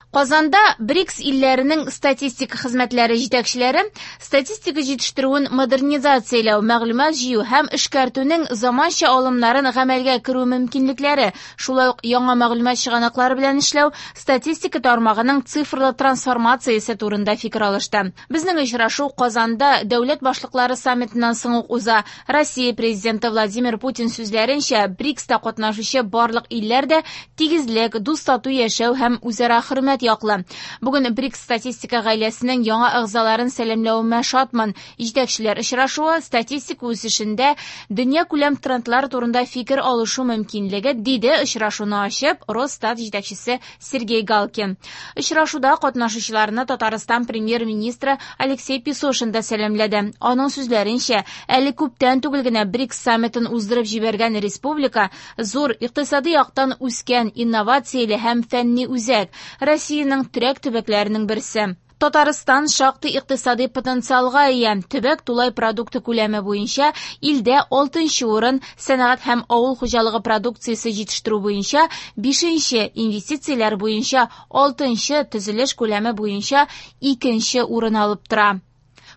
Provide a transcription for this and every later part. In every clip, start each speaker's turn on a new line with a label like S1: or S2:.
S1: Казанда БРИКС илләренең статистика хезмәтләре җитәкчеләре статистика җитештерүен модернизацияләү, мәгълүмат җыю һәм эшкәртүнең заманча алымнарын гамәлгә керү мөмкинлекләре, шулай ук яңа мәгълүмат чыганаклары белән эшләү, статистика тармагының цифрлы трансформациясе турында фикер алышты. Безнең очрашу Казанда дәүләт башлыклары саммитыннан соң ук уза. Россия Президенты Владимир Путин сүзләренчә, БРИКСта катнашучы барлык илләр дә тигезлек, дус-тату яшәү һәм үзара хөрмәт яклы. Бүген БРИКС статистика гаиләсенең яңа әгъзаларын сәламләвемә шатмын. Җитәкчеләр очрашуы статистика үсешендә дөньякүләм трендлар турында фикер алышу мөмкинлеге, диде очрашуны ачып Росстат җитәкчесе Сергей Галкин. Очрашуда катнашучыларны Татарстан премьер-министры Алексей Песошин да сәламләде. Аның сүзләренчә, әле күптән түгел генә БРИКС саммитын уздырып җибәргән республика зур икътисади яктан үскән, инновацияле һәм фәнни үзәк, Россиянең терәк төбәкләренең берсе. Татарстан шактый икътисади потенциалга ия. Төбәк тулай продукты күләме буенча илдә 6 урын, сәнәгать һәм авыл хуҗалыгы продукциясе җитештерү буенча 5-нче, инвестицияләр буенча 6-нчы, төзелеш күләме буенча 2-нче урын алып тора.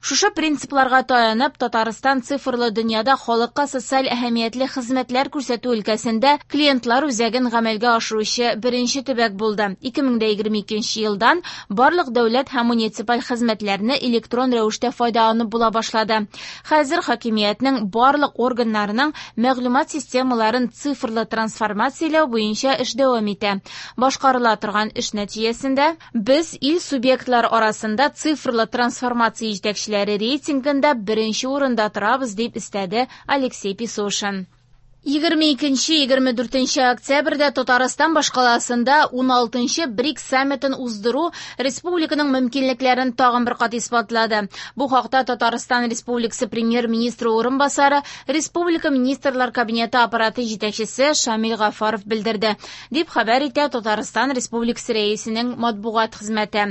S1: Шушы принципларга таянып, Татарстан цифрлы дөньяда халыкка социаль әһәмиятле хезмәтләр күрсәтү өлкәсендә клиентлар үзәген гамәлгә ашыручы беренче төбәк булды. 2022 елдан барлык дәүләт һәм муниципаль хезмәтләрне электрон рәвештә файдаланып була башлады. Хәзер хакимиятнең барлык органнарының мәгълүмат системаларын цифрлы трансформацияләү буенча эш дәвам итә. Башкарыла торган эш нәтиҗәсендә без ил субъектлары арасында цифрлы трансформация җитәкчеләре рейтингында беренче урында торабыз, дип өстәде Алексей Песошин. 22-24 октябрьдә Татарстан башкаласында 16-нчы БРИКС саммитын уздыру республиканың мөмкинлекләрен тагын бер кат исбатлады. Бу хакта Татарстан Республикасы премьер-министры урынбасары, Республика Министрлар Кабинеты аппараты җитәкчесе Шамил Гафаров белдерде, дип хәбәр итә Татарстан Республикасы Рәисенең матбугат хезмәте.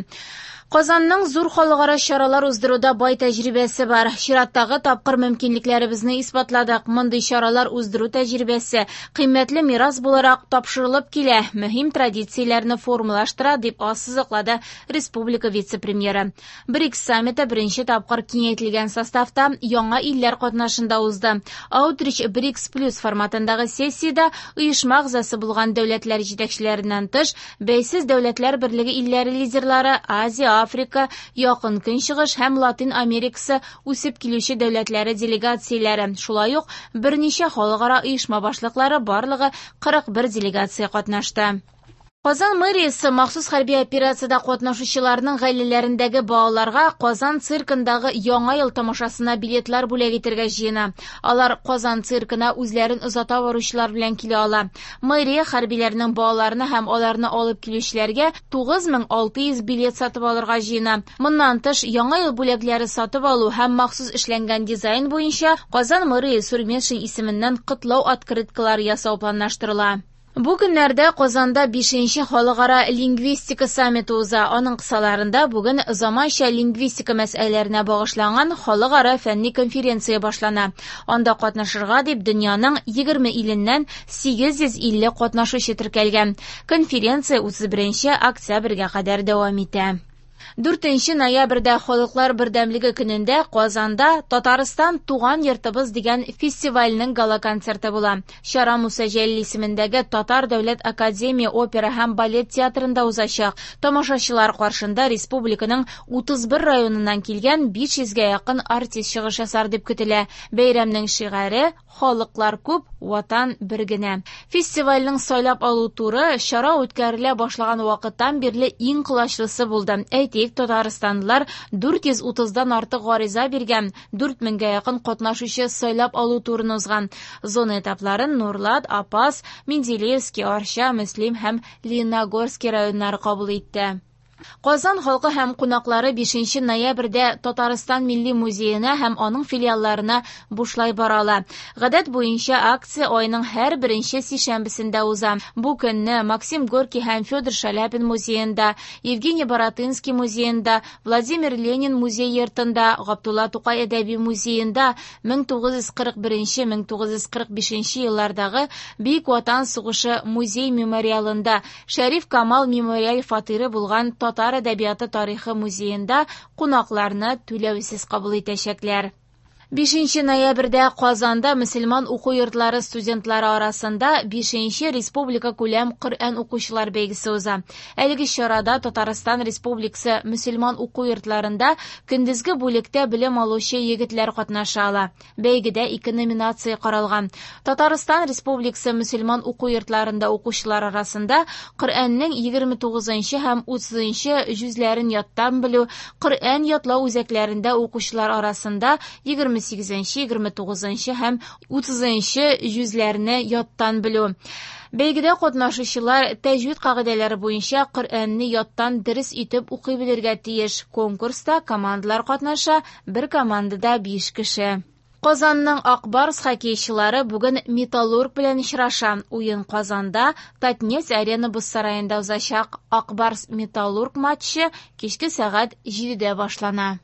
S1: Казанның зур халыкара чаралар уздыруда бай тәҗрибәсе бар. Чираттагы тапкыр мөмкинлекләребезне исбатладык. Мондый чаралар уздыру тәҗрибәсе кыйммәтле мирас буларак тапшырылып килә, мөһим традицияләрне формалаштыра, дип ассызыклады республика вице-премьеры. БРИКС саммиты беренче тапкыр киңәйтелгән составта яңа илләр катнашында узды. Аутрич БРИКС плюс форматындагы сессиядә оешма әгъзасы булган дәүләтләр җитәкчеләреннән тыш, Бәйсез дәүләтләр берлеге илләре лидерлары, Азия, Африка, Якын Көнчыгыш һәм Латин Америкасы үсеп килүче дәүләтләре делегацияләре, шулай ук берничә халыкара оешма башлыклары, барлыгы 41 делегация катнашты. Казан мэриясе махсус хәрби операциядә катнашучыларның гаиләләрендәге балаларга Казан циркындагы Яңа ел тамашасына билетлар бүләк итәргә җыена. Алар Казан циркына үзләрен озата баручылар белән килә ала. Мэрия хәрбиләрнең балаларына һәм аларны алып килүчеләргә 9600 билет сатып алырга җыена. Моннан тыш, Яңа ел бүләкләре сатып алу һәм махсус эшләнгән дизайн буенча Казан мэры Илсур Метшин исеменнән котлау открыткалары ясау планлаштырыла. Бу көннәрдә Казанда 5-нче халыкара лингвистика саммиты уза. Аның кысаларында бүген заманча лингвистика мәсьәләләренә багышланган халыкара фәнни конференция башлана. Анда катнашырга дип дөньяның 20 иленнән 850 катнашучы теркәлгән. Конференция 31 октябрьгә кадәр дәвам итә. 4 ноябрьдә Халыклар бердәмлеге көнендә Казанда Татарстан туган йортыбыз дигән фестивальнең гала-концерты була. Чара Муса Җәлил исемендәге Татар дәүләт академия опера һәм балет театрында узачак. Тамашачылар каршында республиканың 31 районыннан килгән 500гә якын артист чыгыш ясар дип көтелә. Бәйрәмнең шигаре «Халыклар күп, ватан бер генә». Фестивальнең сайлап алу туры чара үткәрелә башлаган вакыттан бирле иң колачлысы булды. Әйтик, татарстанлылар 430-дан артык гариза биргән, 4000гә якын катнашучы сайлап алу турын узган. Зона этапларын Нурлат, Апас, Менделеевский, Арча, Мөслим һәм Лениногорский районнары кабул итте. Казан халкы һәм кунаклары 5 ноябрьдә Татарстан Милли музеена һәм аның филиалларына бушлай бара ала. Гадәт буенча акция айның һәр беренче сишәмбесендә уза. Бу көнне Максим Горький һәм Федор Шаляпин музеенда, Евгений Баратынский музеенда, Владимир Ленин музей-йортында, Габдулла Тукай әдәби музеенда 1941-1945 еллардагы Бөек Ватан сугышы музей-мемориалында, Шәриф Камал мемориаль фатиры булган Татар әдәбияты тарихы музеенда кунакларны түләүсез кабул итәчәкләр. 5 ноябрьдә Казанда мөселман уку йортлары студентлары арасында 5 республика күләм Коръән укучылар бәйгесе уза. Әлеге чарада Татарстан Республикасы мөселман уку йортларында көндезге бүлектә белем алучы егетләр катнаша ала. Бәйгедә ике номинация каралган. Татарстан Республикасы мөселман уку йортларында укучылар арасында Коръәннең 29 һәм 30 җүзләрен яттан белү, Коръән ятлау үзәкләрендә укучылар арасында 28, 29 һәм 30 җүзләрне яттан белү. Бәйгедә катнашучылар тәҗвид кагыйдәләре буенча Коръәнне яттан дөрес итеп укый белергә тиеш. Конкурста командалар катнаша, бер командада 5 кеше. Казанның Ак Барс хоккейчылары бүген Металлург белән очраша. Уен Казанда Татнефть Арена боз сараенда узачак. Ак Барс Металлург матчы кичке сәгать 7-дә башлана.